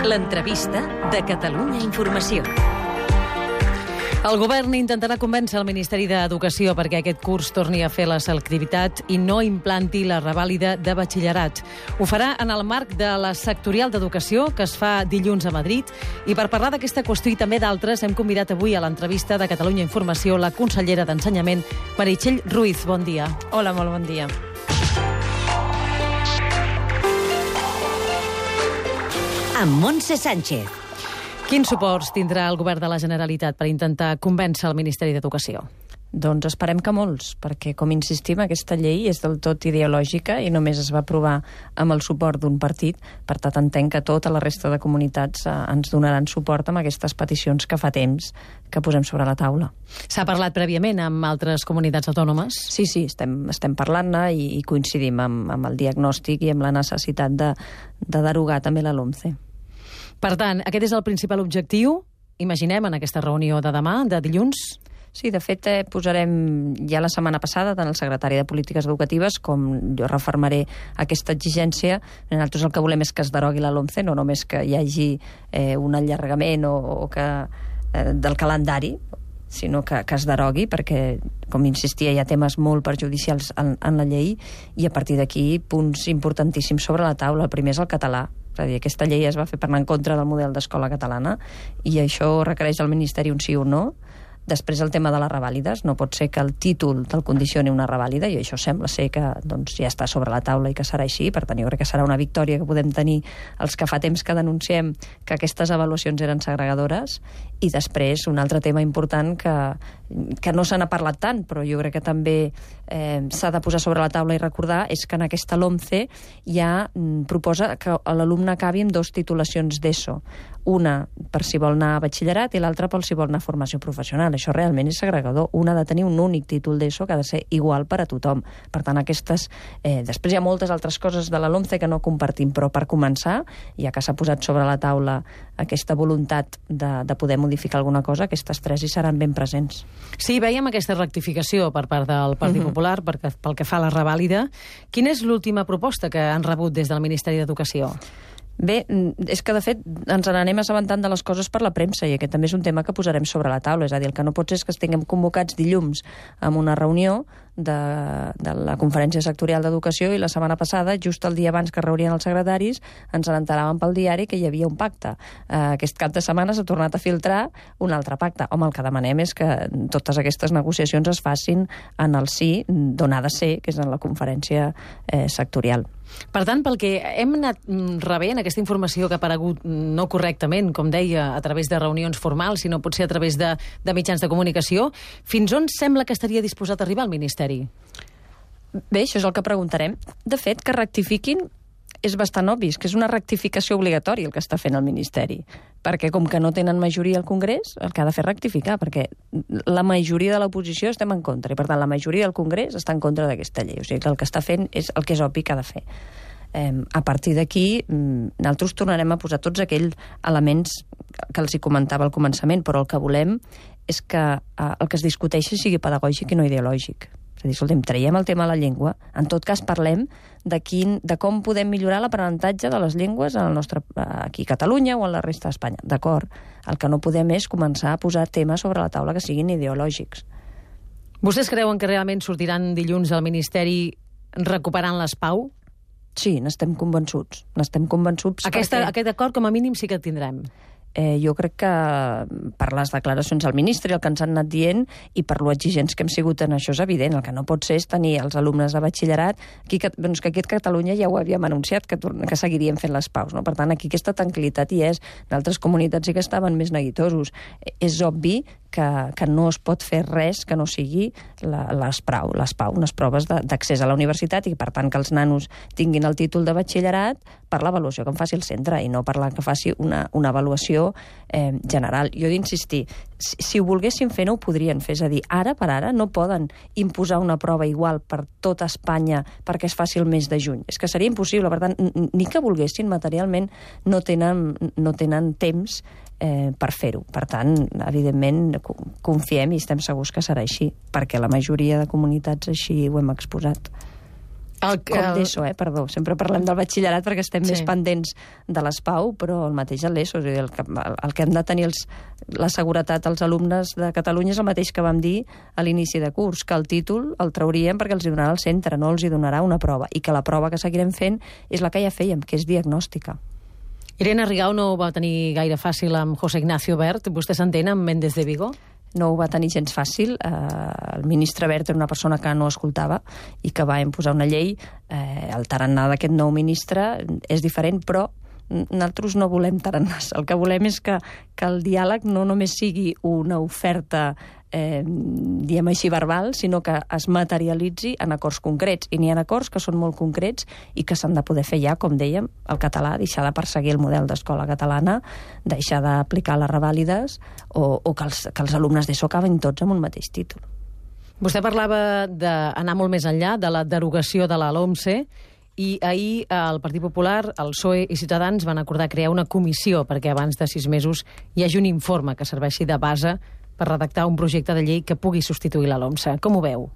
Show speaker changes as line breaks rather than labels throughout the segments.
L'entrevista de Catalunya Informació. El govern intentarà convèncer el Ministeri d'Educació perquè aquest curs torni a fer la selectivitat i no implanti la revàlida de batxillerat. Ho farà en el marc de la sectorial d'educació que es fa dilluns a Madrid. I per parlar d'aquesta qüestió i també d'altres hem convidat avui a l'entrevista de Catalunya Informació la consellera d'Ensenyament, Meritxell Ruiz. Bon dia.
Hola, molt bon dia.
Amb Montse Sánchez. Quins suports tindrà el govern de la Generalitat per intentar convèncer el Ministeri d'Educació?
Doncs esperem que molts, perquè, com insistim, aquesta llei és del tot ideològica i només es va aprovar amb el suport d'un partit. Per tant, entenc que tota la resta de comunitats ens donaran suport amb aquestes peticions que fa temps que posem sobre la taula.
S'ha parlat prèviament amb altres comunitats autònomes?
Sí, estem parlant-ne i coincidim amb el diagnòstic i amb la necessitat de derogar també la LOMCE.
Per tant, aquest és el principal objectiu, imaginem, en aquesta reunió de demà, de dilluns?
Sí, de fet, posarem ja la setmana passada tant el secretari de Polítiques Educatives com jo refermaré aquesta exigència. Nosaltres el que volem és que es derogui la LOMCE, no només que hi hagi un allargament del calendari, sinó que es derogui, perquè, com insistia, hi ha temes molt perjudicials en la llei i a partir d'aquí punts importantíssims sobre la taula. El primer és el català. És a dir, aquesta llei es va fer per anar en contra del model d'escola catalana i això requereix al Ministeri un sí o no. Després el tema de les revàlides. No pot ser que el títol te'l condicioni una revàlida i això sembla ser que ja està sobre la taula i que serà així. Per tant, jo crec que serà una victòria que podem tenir els que fa temps que denunciem que aquestes avaluacions eren segregadores. I després un altre tema important que no se n'ha parlat tant, però jo crec que també s'ha de posar sobre la taula i recordar, és que en aquesta LOMCE ja proposa que l'alumne acabi amb 2 titulacions d'ESO. Una per si vol anar a batxillerat i l'altra per si vol anar a formació professional. Això realment és segregador. Un ha de tenir un únic títol d'ESO que ha de ser igual per a tothom. Per tant, després hi ha moltes altres coses de la LOMCE que no compartim, però per començar, ja que s'ha posat sobre la taula aquesta voluntat de poder modificar alguna cosa, aquestes 3 hi seran ben presents.
Sí, veiem aquesta rectificació per part del Partit Popular pel que fa a la revàlida. Quina és l'última proposta que han rebut des del Ministeri d'Educació?
Bé, és que de fet ens n'anem assabentant de les coses per la premsa i aquest també és un tema que posarem sobre la taula. És a dir, el que no pot ser és que estiguem convocats dilluns amb una reunió de la Conferència Sectorial d'Educació i la setmana passada, just el dia abans que reunien els secretaris, ens n'enteràvem pel diari que hi havia un pacte. Aquest cap de setmana s'ha tornat a filtrar un altre pacte. Home, el que demanem és que totes aquestes negociacions es facin en el sí d'on ha de ser, que és en la Conferència Sectorial.
Per tant, pel que hem anat rebent, aquesta informació que ha aparegut no correctament, com deia, a través de reunions formals, sinó potser a través de mitjans de comunicació, fins on sembla que estaria disposat a arribar el Ministeri?
Bé, això és el que preguntarem. De fet, que rectifiquin és bastant obvi, que és una rectificació obligatòria el que està fent el Ministeri, perquè com que no tenen majoria al Congrés, el que ha de fer és rectificar, perquè la majoria de l'oposició estem en contra, i per tant la majoria del Congrés està en contra d'aquesta llei. O sigui que el que està fent és el que és obvi que ha de fer. A partir d'aquí, nosaltres tornarem a posar tots aquells elements que els hi comentava al començament, però el que volem és que el que es discuteixi sigui pedagògic i no ideològic. És a dir, escoltem, traiem el tema de la llengua, en tot cas parlem de com podem millorar l'aprenentatge de les llengües aquí a Catalunya o a la resta d'Espanya. D'acord, el que no podem és començar a posar temes sobre la taula que siguin ideològics.
Vostès creuen que realment sortiran dilluns al Ministeri recuperant les PAU?
Sí, n'estem convençuts.
Aquest acord, com a mínim, sí que el tindrem.
Jo crec que per les declaracions del ministre, el que ens han anat dient i per lo exigents que hem sigut en això és evident. El que no pot ser és tenir els alumnes de batxillerat que aquí a Catalunya ja ho havíem anunciat, que seguiríem fent les PAUs. No? Per tant, aquí aquesta tranquil·litat hi és. D'altres comunitats sí que estaven més neguitosos. És obvi que no es pot fer res que no sigui les PAU, unes proves d'accés a la universitat i, per tant, que els nanos tinguin el títol de batxillerat per l'avaluació que en faci el centre i no per la que faci una avaluació general. Jo he d'insistir, si ho volguessin fer no ho podrien fer, és a dir, ara per ara no poden imposar una prova igual per tota Espanya perquè es faci el mes de juny. És que seria impossible, per tant, ni que volguessin materialment no tenen temps per fer-ho. Per tant, evidentment, confiem i estem segurs que serà així, perquè la majoria de comunitats així ho hem exposat. Com d'ESO, perdó. Sempre parlem del batxillerat perquè estem més pendents de l'ESPAU, però el mateix a l'ESO. El que hem de tenir la seguretat als alumnes de Catalunya és el mateix que vam dir a l'inici de curs, que el títol el trauríem perquè els hi donarà el centre, no els hi donarà una prova, i que la prova que seguirem fent és la que ja fèiem, que és diagnòstica.
Irene Rigau no ho va tenir gaire fàcil amb José Ignacio Wert. Vostè s'entén amb Méndez de Vigo?
No ho va tenir gens fàcil. El ministre Wert era una persona que no escoltava i que va imposar una llei. El tarannà d'aquest nou ministre és diferent, però nosaltres no volem tarannàs. El que volem és que el diàleg no només sigui una oferta diem així verbal, sinó que es materialitzi en acords concrets. I n'hi ha acords que són molt concrets i que s'han de poder fer ja, com dèiem, el català, deixar de perseguir el model d'escola catalana, deixar d'aplicar les revàlides o que els alumnes d'ESO acaben tots amb un mateix títol.
Vostè parlava d'anar molt més enllà de la derogació de la LOMCE i ahir el Partit Popular, el PSOE i Ciutadans van acordar crear una comissió perquè abans de 6 mesos hi hagi un informe que serveixi de base per redactar un projecte de llei que pugui substituir la LOMCE. Com ho veu?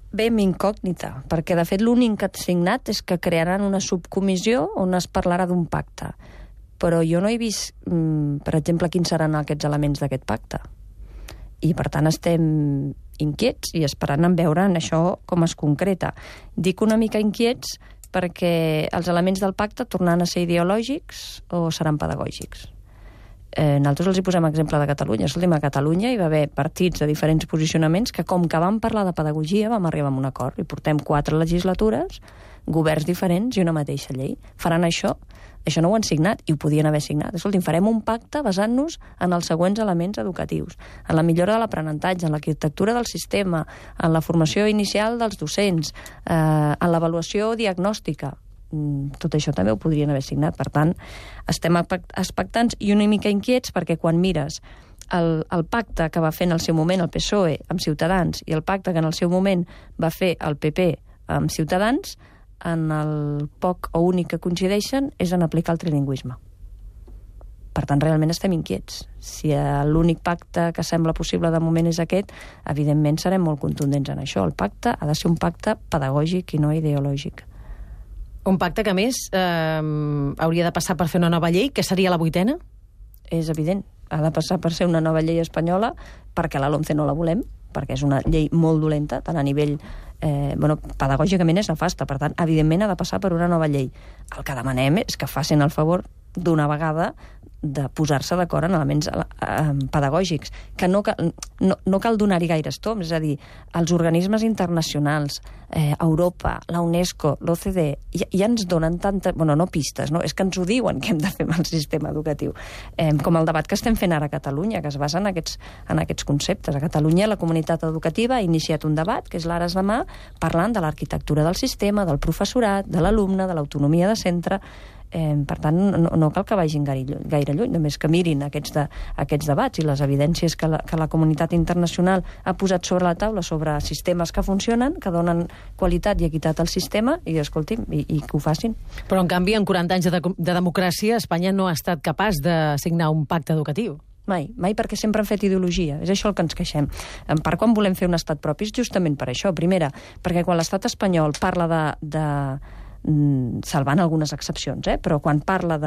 Bé, amb incògnita, perquè de fet l'únic que ha signat és que crearan una subcomissió on es parlarà d'un pacte. Però jo no he vist, per exemple, quins seran aquests elements d'aquest pacte. I per tant estem inquiets i esperant en veure en això com es concreta. Dic una mica inquiets perquè els elements del pacte tornaran a ser ideològics o seran pedagògics. Nosaltres els hi posem exemple de Catalunya. Escolti'm, a Catalunya hi va haver partits de diferents posicionaments que, com que vam parlar de pedagogia, vam arribar a un acord i portem 4 legislatures, governs diferents i una mateixa llei. Faran això? Això no ho han signat i ho podien haver signat. Escolti'm, farem un pacte basant-nos en els següents elements educatius, en la millora de l'aprenentatge, en l'arquitectura del sistema, en la formació inicial dels docents, en l'avaluació diagnòstica. Tot això també ho podrien haver signat. Per tant, estem expectants i una mica inquiets perquè quan mires el pacte que va fer en el seu moment el PSOE amb Ciutadans i el pacte que en el seu moment va fer el PP amb Ciutadans, en el poc o únic que coincideixen és en aplicar el trilingüisme. Per tant, realment estem inquiets. Si l'únic pacte que sembla possible de moment és aquest, evidentment serem molt contundents en això. El pacte ha de ser un pacte pedagògic i no ideològic.
Un pacte que, a més, hauria de passar per fer una nova llei, que seria la 8ª?
És evident. Ha de passar per ser una nova llei espanyola, perquè la LOMCE no la volem, perquè és una llei molt dolenta, tant a nivell pedagògicament és nefasta. Per tant, evidentment ha de passar per una nova llei. El que demanem és que facin el favor d'una vegada de posar-se d'acord en elements pedagògics, que no cal donar-hi gaires toms, és a dir, els organismes internacionals, Europa, la UNESCO, l'OCDE, ja ens donen tanta... no pistes, no? És que ens ho diuen que hem de fer amb el sistema educatiu. Com el debat que estem fent ara a Catalunya, que es basa en aquests conceptes. A Catalunya la comunitat educativa ha iniciat un debat, que és l'Ara és demà, parlant de l'arquitectura del sistema, del professorat, de l'alumne, de l'autonomia de centre. Per tant, no cal que vagin gaire lluny, només que mirin aquests debats i les evidències que la comunitat internacional ha posat sobre la taula sobre sistemes que funcionen, que donen qualitat i equitat al sistema, i escolti'm, i que ho facin.
Però, en canvi, en 40 anys de democràcia, Espanya no ha estat capaç de signar un pacte educatiu.
Mai, perquè sempre han fet ideologia. És això el que ens queixem. En part, quan volem fer un estat propi és justament per això. Primera, perquè quan l'estat espanyol parla salvant algunes excepcions, però quan parla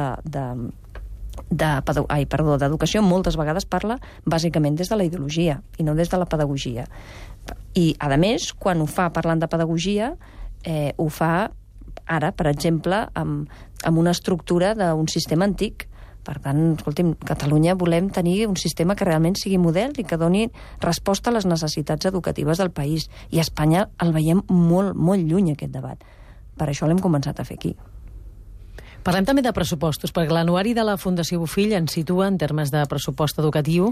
d'educació moltes vegades parla bàsicament des de la ideologia i no des de la pedagogia. I, a més, quan ho fa parlant de pedagogia, ho fa ara, per exemple, amb una estructura d'un sistema antic. Per tant, escolti'm, Catalunya volem tenir un sistema que realment sigui model i que doni resposta a les necessitats educatives del país. I a Espanya el veiem molt, molt lluny, aquest debat. Per això l'hem començat a fer aquí.
Parlem també de pressupostos, perquè l'anuari de la Fundació Bofill ens situa en termes de pressupost educatiu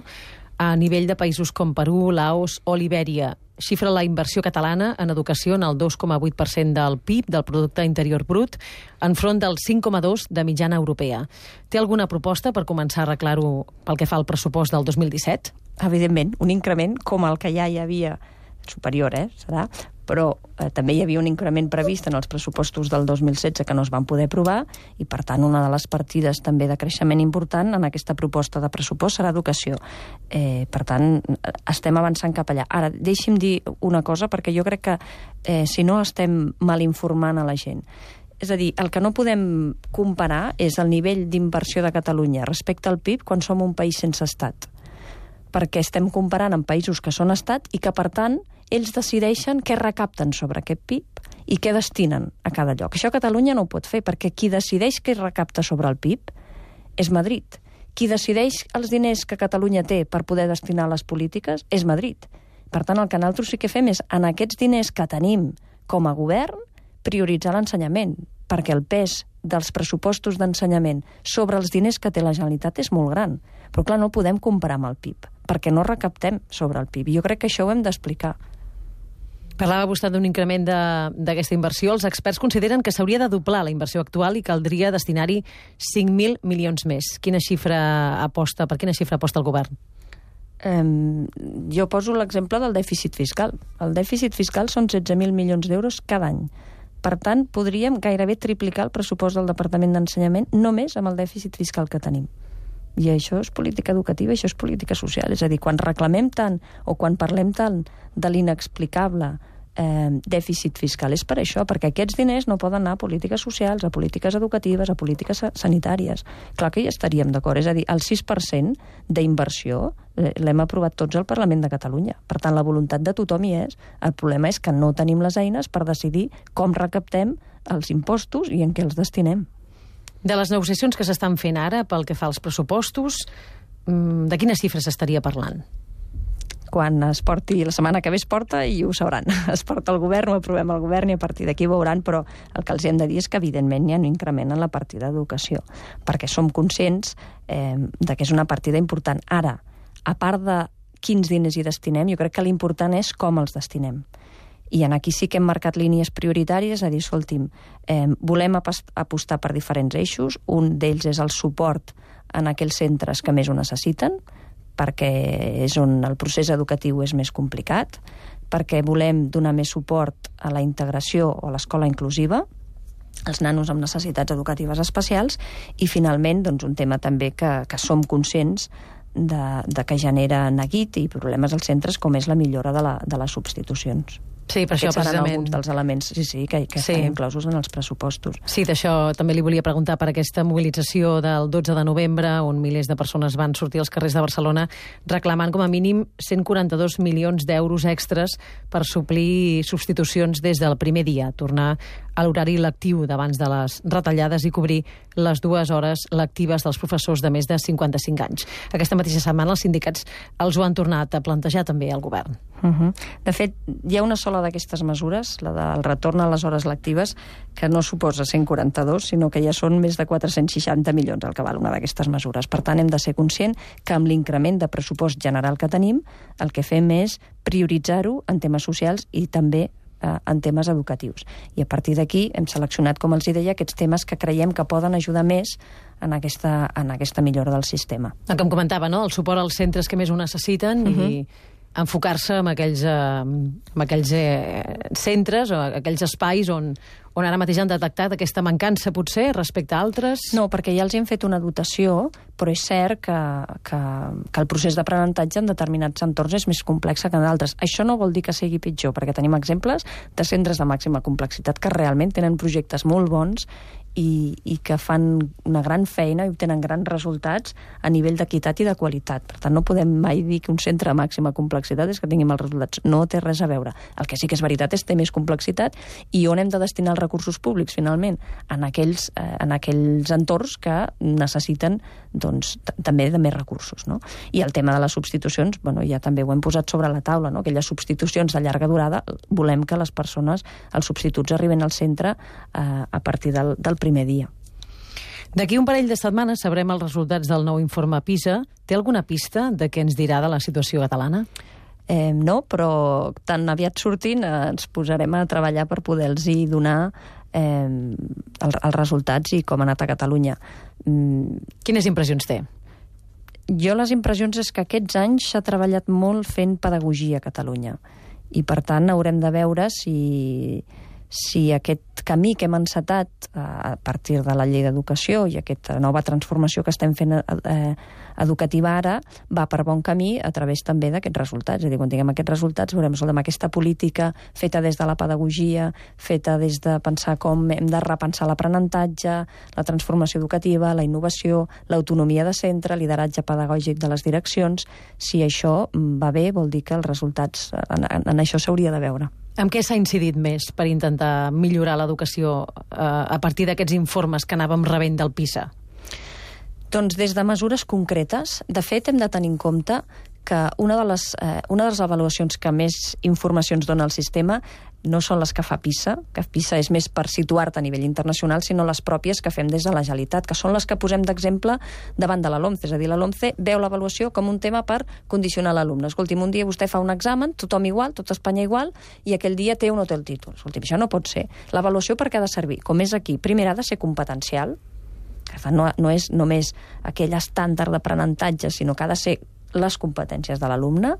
a nivell de països com Perú, Laos o Libèria. Xifra la inversió catalana en educació en el 2,8% del PIB, del Producte Interior Brut, enfront del 5,2% de mitjana europea. Té alguna proposta per començar a arreglar-ho pel que fa al pressupost del 2017?
Evidentment, un increment com el que ja hi havia superior, serà, però també hi havia un increment previst en els pressupostos del 2016 que no es van poder aprovar i, per tant, una de les partides també de creixement important en aquesta proposta de pressupost serà educació. Per tant, estem avançant cap allà. Ara, deixi'm dir una cosa, perquè jo crec que si no estem mal informant a la gent. És a dir, el que no podem comparar és el nivell d'inversió de Catalunya respecte al PIB quan som un país sense estat. Perquè estem comparant amb països que són estat i que, per tant, ells decideixen què recapten sobre aquest PIB i què destinen a cada lloc. Això Catalunya no ho pot fer, perquè qui decideix què recapta sobre el PIB és Madrid. Qui decideix els diners que Catalunya té per poder destinar a les polítiques és Madrid. Per tant, el que nosaltres sí que fem és, en aquests diners que tenim com a govern, prioritzar l'ensenyament, perquè el pes dels pressupostos d'ensenyament sobre els diners que té la Generalitat és molt gran. Però, clar, no el podem comparar amb el PIB, perquè no recaptem sobre el PIB. Jo crec que això ho hem d'explicar.
Parlava vostè d'un increment d'aquesta inversió. Els experts consideren que s'hauria de doblar la inversió actual i caldria destinar-hi 5.000 milions més. Per quina xifra aposta el govern?
Jo poso l'exemple del dèficit fiscal. El dèficit fiscal són 16.000 milions d'euros cada any. Per tant, podríem gairebé triplicar el pressupost del Departament d'Ensenyament només amb el dèficit fiscal que tenim. I això és política educativa, això és política social. És a dir, quan reclamem tant o quan parlem tant de l'inexplicable dèficit fiscal és per això, perquè aquests diners no poden anar a polítiques socials, a polítiques educatives, a polítiques sanitàries. Clar que hi estaríem d'acord. És a dir, el 6% d'inversió l'hem aprovat tots al Parlament de Catalunya. Per tant, la voluntat de tothom hi és. El problema és que no tenim les eines per decidir com recaptem els impostos i en què els destinem.
De les negociacions que s'estan fent ara pel que fa als pressupostos, de quines xifres s'estaria parlant?
Quan es porti, la setmana que ve es porta i ho sabran. Es porta el govern, ho aprovem al govern i a partir d'aquí ho veuran, però el que els hem de dir és que evidentment hi ha un increment en la partida d'educació, perquè som conscients de que és una partida important. Ara, a part de quins diners hi destinem, jo crec que l'important és com els destinem. I aquí sí que hem marcat línies prioritàries, a dir, escolti'm, volem apostar per diferents eixos, un d'ells és el suport en aquells centres que més ho necessiten, perquè és on el procés educatiu és més complicat, perquè volem donar més suport a la integració o a l'escola inclusiva, als nanos amb necessitats educatives especials, i finalment doncs, un tema també que som conscients de que genera neguit i problemes als centres, com és la millora de les substitucions.
Sí, per això
Aquests seran
precisament
alguns dels elements que estan inclosos en els pressupostos.
Sí, d'això també li volia preguntar per aquesta mobilització del 12 de novembre, on milers de persones van sortir als carrers de Barcelona reclamant com a mínim 142 milions d'euros extres per suplir substitucions des del primer dia, tornar a l'horari lectiu d'abans de les retallades i cobrir les 2 hores lectives dels professors de més de 55 anys. Aquesta mateixa setmana els sindicats els ho han tornat a plantejar també al govern.
De fet, hi ha una sola d'aquestes mesures, la del retorn a les hores lectives, que no suposa 142, sinó que ja són més de 460 milions el que val una d'aquestes mesures. Per tant, hem de ser conscients que amb l'increment de pressupost general que tenim, el que fem és prioritzar-ho en temes socials i també en temes educatius. I a partir d'aquí hem seleccionat, com els deia, aquests temes que creiem que poden ajudar més en aquesta millora del sistema.
El que em comentava, no? El suport als centres que més ho necessiten i enfocar-se en aquells centres o aquells espais on ara mateix han detectat aquesta mancança, potser, respecte a altres?
No, perquè ja els hem fet una dotació, però és cert que el procés d'aprenentatge en determinats entorns és més complex que en d'altres. Això no vol dir que sigui pitjor, perquè tenim exemples de centres de màxima complexitat que realment tenen projectes molt bons i que fan una gran feina i obtenen grans resultats a nivell d'equitat i de qualitat. Per tant, no podem mai dir que un centre de màxima complexitat és que tingui mals resultats. No té res a veure. El que sí que és veritat és que té més complexitat i on hem de destinar els recursos públics, finalment? En aquells entorns que necessiten doncs, també de més recursos. No? I el tema de les substitucions, ja també ho hem posat sobre la taula, no? Aquelles substitucions de llarga durada, volem que les persones, els substituts, arriben al centre a partir del primer dia.
D'aquí un parell de setmanes sabrem els resultats del nou informe PISA. Té alguna pista de què ens dirà de la situació catalana?
No, però tan aviat sortint ens posarem a treballar per poder-los donar els resultats i com ha anat a Catalunya.
Quines impressions té?
Jo les impressions és que aquests anys s'ha treballat molt fent pedagogia a Catalunya I, per tant, haurem de veure si aquest camí que hem encetat a partir de la llei d'educació i aquesta nova transformació que estem fent educativa ara va per bon camí a través també d'aquests resultats. És a dir, quan tinguem aquests resultats veurem amb aquesta política feta des de la pedagogia, feta des de pensar com hem de repensar l'aprenentatge, la transformació educativa, la innovació, l'autonomia de centre, lideratge pedagògic de les direccions. Si això va bé, vol dir que els resultats en això s'hauria de veure.
Amb què s'ha incidit més per intentar millorar l'educació a partir d'aquests informes que anàvem rebent del PISA?
Doncs des de mesures concretes. De fet, hem de tenir en compte que una de les avaluacions que més informacions dona al sistema no són les que fa PISA, que PISA és més per situar-te a nivell internacional, sinó les pròpies que fem des de la Generalitat, que són les que posem d'exemple davant de la LOMCE. És a dir, la LOMCE veu l'avaluació com un tema per condicionar l'alumne. Escolti'm, un dia vostè fa un examen, tothom igual, tot Espanya igual, i aquell dia té o no té el títol. Escolti'm, això no pot ser. L'avaluació per què ha de servir? Com és aquí, primer ha de ser competencial, no és només aquell estàndard d'aprenentatge, sinó que ha de ser les competències de l'alumne,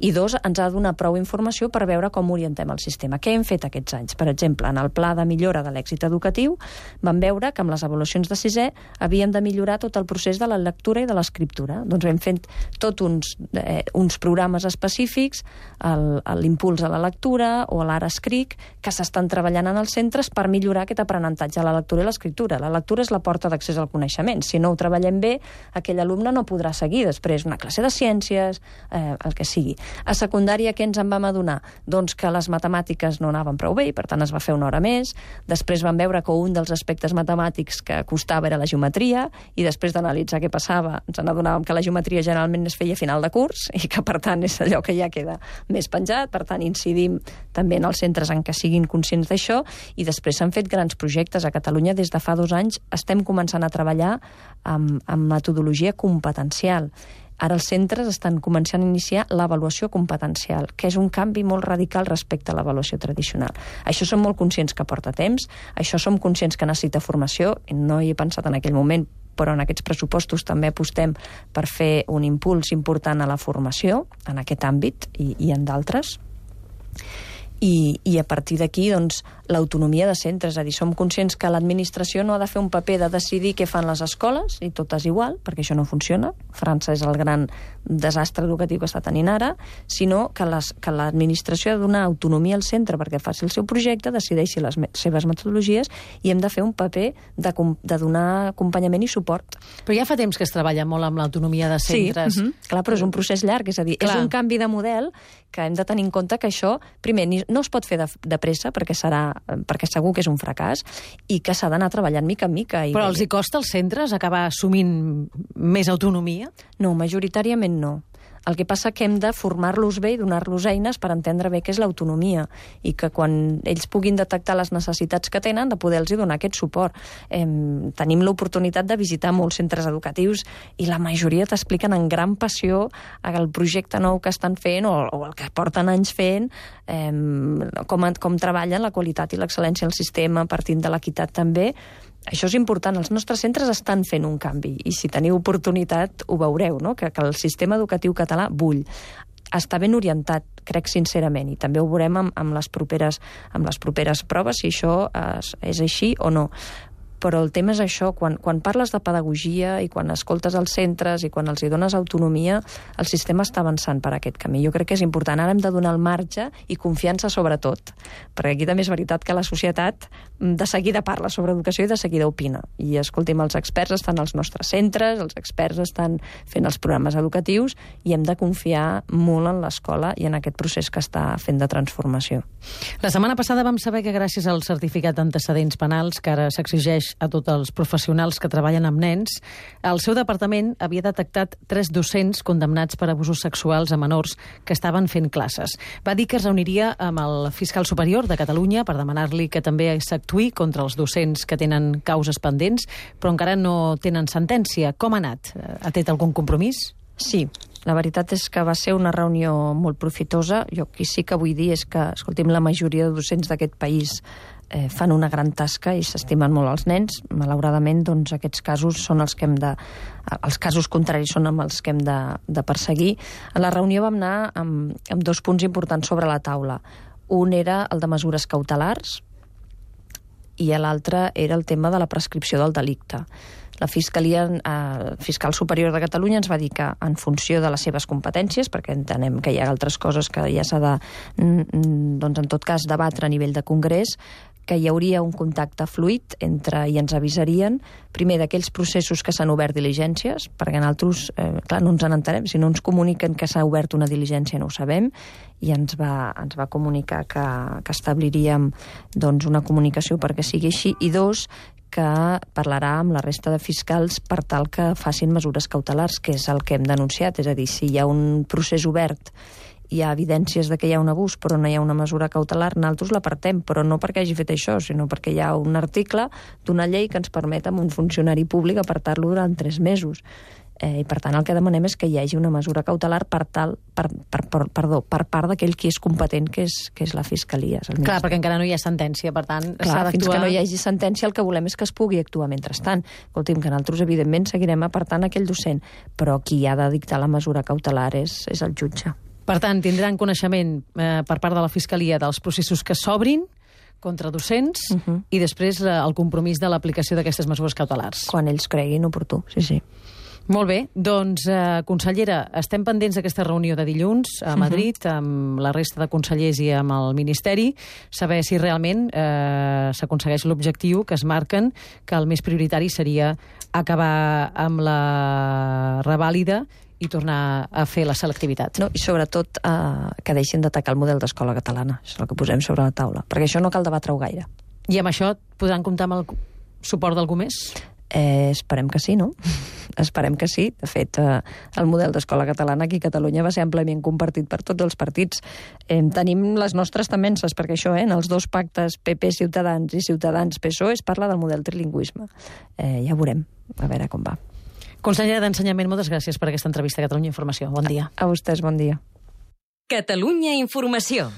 i dos, ens ha de donar prou informació per veure com orientem el sistema. Què hem fet aquests anys? Per exemple, en el pla de millora de l'èxit educatiu vam veure que amb les avaluacions de sisè havíem de millorar tot el procés de la lectura i de l'escriptura. Doncs hem fet tots uns programes específics, l'impuls a la lectura o l'ara escric, que s'estan treballant en els centres per millorar aquest aprenentatge a la lectura i l'escriptura. La lectura és la porta d'accés al coneixement. Si no ho treballem bé, aquell alumne no podrà seguir després una classe de ciències, el que sigui. A secundària, què ens en vam adonar? Doncs que les matemàtiques no anaven prou bé i, per tant, es va fer una hora més. Després vam veure que un dels aspectes matemàtics que costava era la geometria, i després d'analitzar què passava, ens n'adonàvem que la geometria generalment es feia a final de curs i que, per tant, és allò que ja queda més penjat. Per tant, incidim també en els centres en què siguin conscients d'això, i després s'han fet grans projectes. A Catalunya, des de fa 2 anys, estem començant a treballar amb metodologia competencial. Ara els centres estan començant a iniciar l'avaluació competencial, que és un canvi molt radical respecte a l'avaluació tradicional. Això som molt conscients que porta temps, això som conscients que necessita formació, i no hi he pensat en aquell moment, però en aquests pressupostos també apostem per fer un impuls important a la formació, en aquest àmbit i en d'altres. I a partir d'aquí, doncs, l'autonomia de centres. És a dir, som conscients que l'administració no ha de fer un paper de decidir què fan les escoles, i tot és igual, perquè això no funciona. França és el gran desastre educatiu que està tenint ara, sinó que l'administració ha de donar autonomia al centre perquè faci el seu projecte, decideixi les seves metodologies, i hem de fer un paper de donar acompanyament i suport.
Però ja fa temps que es treballa molt amb l'autonomia de centres.
Sí, clar, però és un procés llarg, és a dir, és un canvi de model que hem de tenir en compte que això, primer, no es pot fer de pressa perquè segur que és un fracàs, i que s'ha d'anar treballant mica en mica.
Però els hi costa als centres acabar assumint més autonomia?
No, majoritàriament no. El que passa que hem de formar-los bé i donar-los eines per entendre bé què és l'autonomia, i que quan ells puguin detectar les necessitats que tenen, de poder-los donar aquest suport. Tenim l'oportunitat de visitar molts centres educatius i la majoria t'expliquen amb gran passió el projecte nou que estan fent o el que porten anys fent, com treballen la qualitat i l'excel·lència del sistema, partint de l'equitat també. Això és important. Els nostres centres estan fent un canvi, i si teniu oportunitat ho veureu, no? Que el sistema educatiu català bull. Està ben orientat, crec sincerament, i també ho veurem amb les properes proves, si això és així o no. Però el tema és això, quan parles de pedagogia i quan escoltes els centres i quan els hi dones autonomia, el sistema està avançant per aquest camí. Jo crec que és important. Ara hem de donar el marge i confiança sobretot, perquè aquí també és veritat que la societat de seguida parla sobre educació i de seguida opina. I, escolti'm, els experts estan als nostres centres, els experts estan fent els programes educatius, i hem de confiar molt en l'escola i en aquest procés que està fent de transformació.
La setmana passada vam saber que gràcies al certificat d'antecedents penals, que ara s'exigeix a tots els professionals que treballen amb nens, el seu departament havia detectat 3 docents condemnats per abusos sexuals a menors que estaven fent classes. Va dir que es reuniria amb el fiscal superior de Catalunya per demanar-li que també s'actuï contra els docents que tenen causes pendents, però encara no tenen sentència. Com ha anat? Ha tret algun compromís?
Sí, la veritat és que va ser una reunió molt profitosa. Jo aquí sí que vull dir és que, escolti'm, la majoria de docents d'aquest país fan una gran tasca i s'estimen molt els nens. Malauradament, doncs, aquests casos són els que els casos contraris són amb els que hem de perseguir. A la reunió vam anar amb 2 punts importants sobre la taula. Un era el de mesures cautelars i l'altre era el tema de la prescripció del delicte. La Fiscal Superior de Catalunya ens va dir que en funció de les seves competències, perquè entenem que hi ha altres coses que ja s'ha de, doncs, en tot cas, debatre a nivell de Congrés, que hi hauria un contacte fluid i ens avisarien, primer, d'aquells processos que s'han obert diligències, perquè nosaltres, clar, no ens n'entenem. Si no ens comuniquen que s'ha obert una diligència no ho sabem, i ens va comunicar que establiríem, doncs, una comunicació perquè sigui així, i 2, que parlarà amb la resta de fiscals per tal que facin mesures cautelars, que és el que hem denunciat. És a dir, si hi ha un procés obert, hi ha evidències de que hi ha un abús però no hi ha una mesura cautelar, nosaltres l'apartem, però no perquè hagi fet això, sinó perquè hi ha un article d'una llei que ens permet amb un funcionari públic apartar-lo durant 3 mesos. I per tant el que demanem és que hi hagi una mesura cautelar per part d'aquell qui és competent, que és la Fiscalia.
Clar, perquè encara no hi ha sentència, per tant s'ha d'actuar.
Fins que no hi hagi sentència el que volem és que es pugui actuar mentrestant. Escolti'm, que nosaltres evidentment seguirem apartant aquell docent, però qui ha de dictar la mesura cautelar és el jutge.
Per tant, tindran coneixement per part de la Fiscalia dels processos que s'obrin contra docents i després el compromís de l'aplicació d'aquestes mesures cautelars.
Quan ells creguin oportú, sí.
Molt bé, doncs, consellera, estem pendents d'aquesta reunió de dilluns a Madrid amb la resta de consellers i amb el Ministeri, saber si realment s'aconsegueix l'objectiu que es marquen, que el més prioritari seria acabar amb la revàlida i tornar a fer la selectivitat.
No, i sobretot que deixin d'atacar el model d'escola catalana. Això és el que posem sobre la taula, perquè això no cal debatre-ho gaire.
I amb això podran comptar amb el suport d'algú més?
Esperem que sí, no? Esperem que sí. De fet, el model d'escola catalana aquí a Catalunya va ser àmpliament compartit per tots els partits. Tenim les nostres temences, perquè això, en els 2 pactes PP-Ciutadans i Ciutadans-PSOE es parla del model trilingüisme. Ja veurem, a veure com va.
Consellera d'Ensenyament, moltes gràcies per aquesta entrevista a Catalunya Informació. Bon dia.
A vostès, bon dia.
Catalunya Informació.